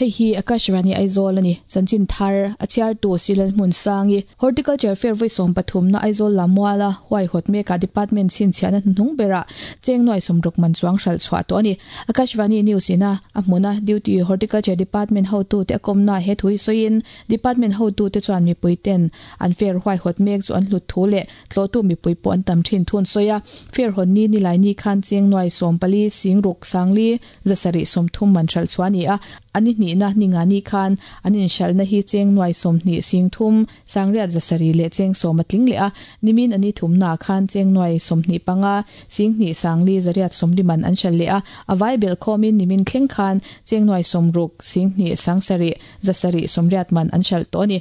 Hei hi Akashvani Aizawl a ni. Chanchin thar a chhiartu Silal Hmunsangi, Horticulture Fair vawi sawmpathumna Aizawl Lammuala huaihawt mekah Department chhinchhiahna hnuhnung berah cheng nuai sawmruk man chuang hralh chhuah tawh a ni. Akashvani News ina a hmuna Duty Horticulture Department hotute a kawmnaah he thu hi sawiin Department hotute chuan mipuiten an fair huaihawt mek chu an hlut thu leh Tlawhtu mipui pawh an tam thin thun sawi a, fair hawn ni nilai ni khan cheng nuai 14 sing ruk sangli 730 man hralh chhuah a ni a, a ni hnihna ni nga ni khan an inhralhna hi cheng nuai 20 sing thum sangriat 700 leh cheng 10 a tling leh a, nimin a ni thumnaah khan cheng nuai 25 sing hnih sangli 840 man an hralh leh a, a vai belh khawmin nimin thleng khan cheng nuai 60 sing hnih sang sarih 780 man an hralh tawh a ni.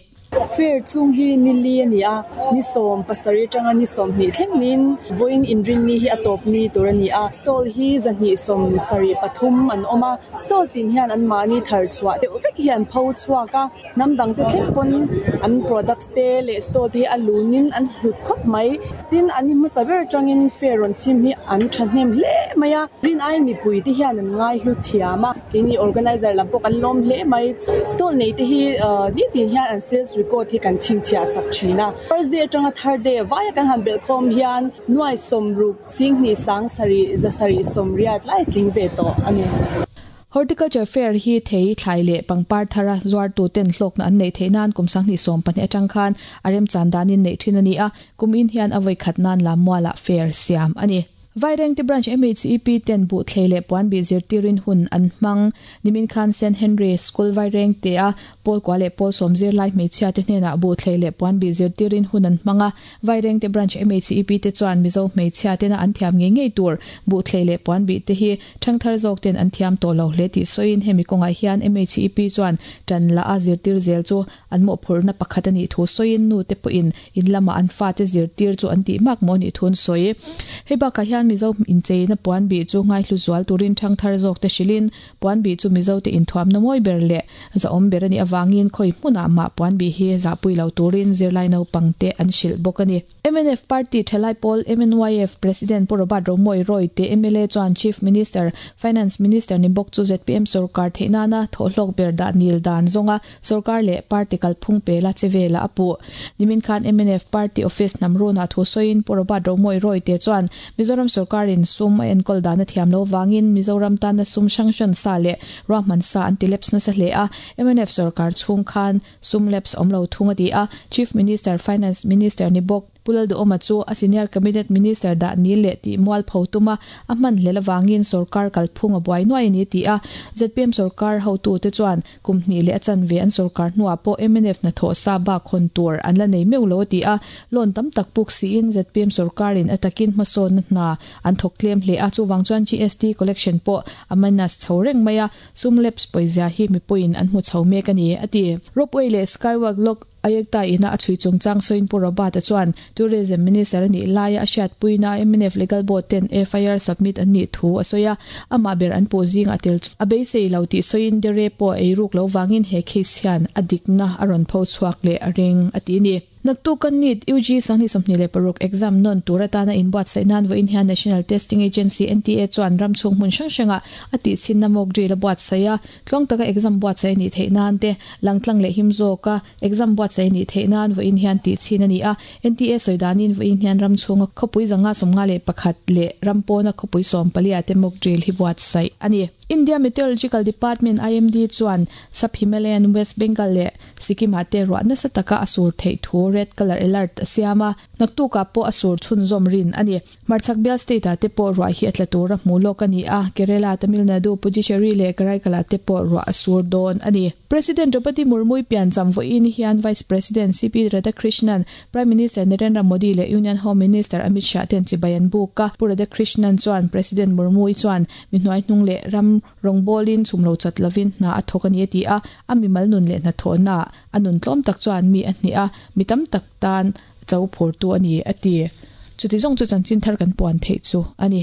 Fair chhung hi ni li a ni a, ni 17 atanga ni 20 thleng niin vawiin inrinni hi a tawp ni tur a ni a. Stall hi 273 an awm a, stall tin hian anmahni thar chhuah deuh vek hi an pho chhuak a, hnam dangte thleng pawn an products te leh stall te hi a lunin an hlut khawp mai. Tin, an ni hmasa ber atangin fair rawn chhim hi an thahnem hle mai a, rin aiin mipui te hian an ngaihlu thiam a. Keini organizer lam pawh kan lawm hle mai. Stall nei te hi nitin hian an sales record hi kan chhinchhiah sak thin a. First day atanga third day vaia kan han belh khawm hian nuai 60 singhnih sang sarih 780 lai tling ve tawh a ni. Horticulture Fair hi thei, thlai leh pangpar thara zuartu ten hlawkna an neih theih nan kum 2014 atang khan a remchan danin neih thin a ni a, kum in hian a vawi khat nan Lammualah fair siam a ni. Vairengte Branch MHEP ten buh thlei leh puan bih zirtirin hun an hmang. Nimin khan St. Henry School Vairengte a pawl kua leh pawl sawm zirlai hmeichhia te hnenah buh thlei leh puan bih zirtirin hun an hmang a. Vairengte Branch MHEP te chuan Mizo hmeichhia tena an thiam ngei ngei tur buh thlei leh puan bih te hi thangthar zawk ten an thiam tawh lo hle tih sawiin hemi kawngah hian MHEP chuan tan la a zirtir zel chu an mawhphurhna pakhat a nih thu sawiin nu te pawhin In lama an fate zirtir chu an tih mak maw nih thun sawi. Hei bakah hian Mizo incheina puan bih chu ngaihlu zual turin thangthar zawk te hrilhin puan bih chu Mizo te inthuamna mawi ber leh zahawm ber a nih avangin khawi hmunah mah puan bih hi zahpui lo turin zirlai naupang te an hrilh bawk a ni. Mnf Party thalai pawl MNYF President Pu Robert Romawii Roy te mla chuan Chief Minister, Finance Minister ni bawk chu zpm sorkar theih nana thawhhlawk ber dah nil dan zawnga Sorkar leh party kalphung pela che velah a puh. Nimin khan mnf party office hnam runah thu sawiin Pu Robert Romawii Royte chuan Mizoram sorkarin sum a enkawl dan a thiam lo vangin Mizoram tana sum hrang hran sa leh ruahman sa an ti lapse nasa hle a, mnf sorkar chhung khan sum lapse awm lo thung a ti a, Chief Minister, Finance Minister ni bawk. Pu Lalduhawma chu a Senior Cabinet Minister dah ni leh tih mual pho tuma a hman hlel avangin sorkar kalphung a buai nuai a ni ti a. Zpm sorkar hotute chuan kum hnih leh a chanve an sorkar hnuah pawh mnf hnathawh sa bak hawn tur an la nei meuh lo a ti a. Loan tam tak puk siin zpm sorkarin a takin hmasawnna hna an thawk tlem hle a, chuvang chuan GST collection pawh a minus chho reng mai a, sum lapse pawizia hi mipuiin an hmu chho mek a ni a ti. Ropeway leh Skywalk lawk Ayekta ina a chhui chungchang sawiin Pu Robert-a chuan Tourism Minister a nih laia a hriatpuina mnf Legal Board ten FIR submit an nih thu a sawi a, amah ber an puh zingah tel chu a beisei lo tih sawiin Dere pawh a eiruk lo vangin he case hian a dikna a rawn pho chhuak leh a ring a ti a ni. Naktuk kan NEET UG 2026 exam nawn tur atana inbuatsaih nan vawiin hian National Testing Agency, NTA, chuan ram chhung hmun hrang hrangah a tihchhinna mock drill a buatsaih a. Tluang taka exam buatsaih a nih theih nan te, langtlang leh him zawka exam buatsaih a nih theih nan vawiin hian tih chhin a ni a. NTA sawi danin vawiin hian ram chhunga khawpui 551 leh ram pawna khawpui 14 te mock drill hi buatsaih a ni. India Meteorological Department, IMD, chuan Sub Himalayan West Bengal leh Sikkim-ah te ruah nasa taka a sur theih thu red colour alert a siam a, naktukah pawh a sur chhunzawm rin a ni. Hmarchhak bial state-ah te pawh ruah hi a tla tur a hmu lawk a ni a, Kerala, Tamil Nadu, Puducherry leh Karaikal-ah te pawh ruah a sur dawn a ni. President Draupadi Murmu-i piancham vawiin hian Vice President CP Radhakrishnan, Prime Minister Narendra Modi leh Union Home Minister Amit Shah ten chibai an buk a. Pu Radhakrishnan chuan President Murmu-i chuan mi hnuaihnung leh ram rawngbawlin chhum lo chat lovin hna a thawk a ni a ti a, a mimal nun leh hnathawhnaah a nun tlawm tak chuan mi a hneh a, mi tam tak tan cho phurtu a ni, a ti. Chuti zawng chu chanchin thar kan puan theih chu a ni.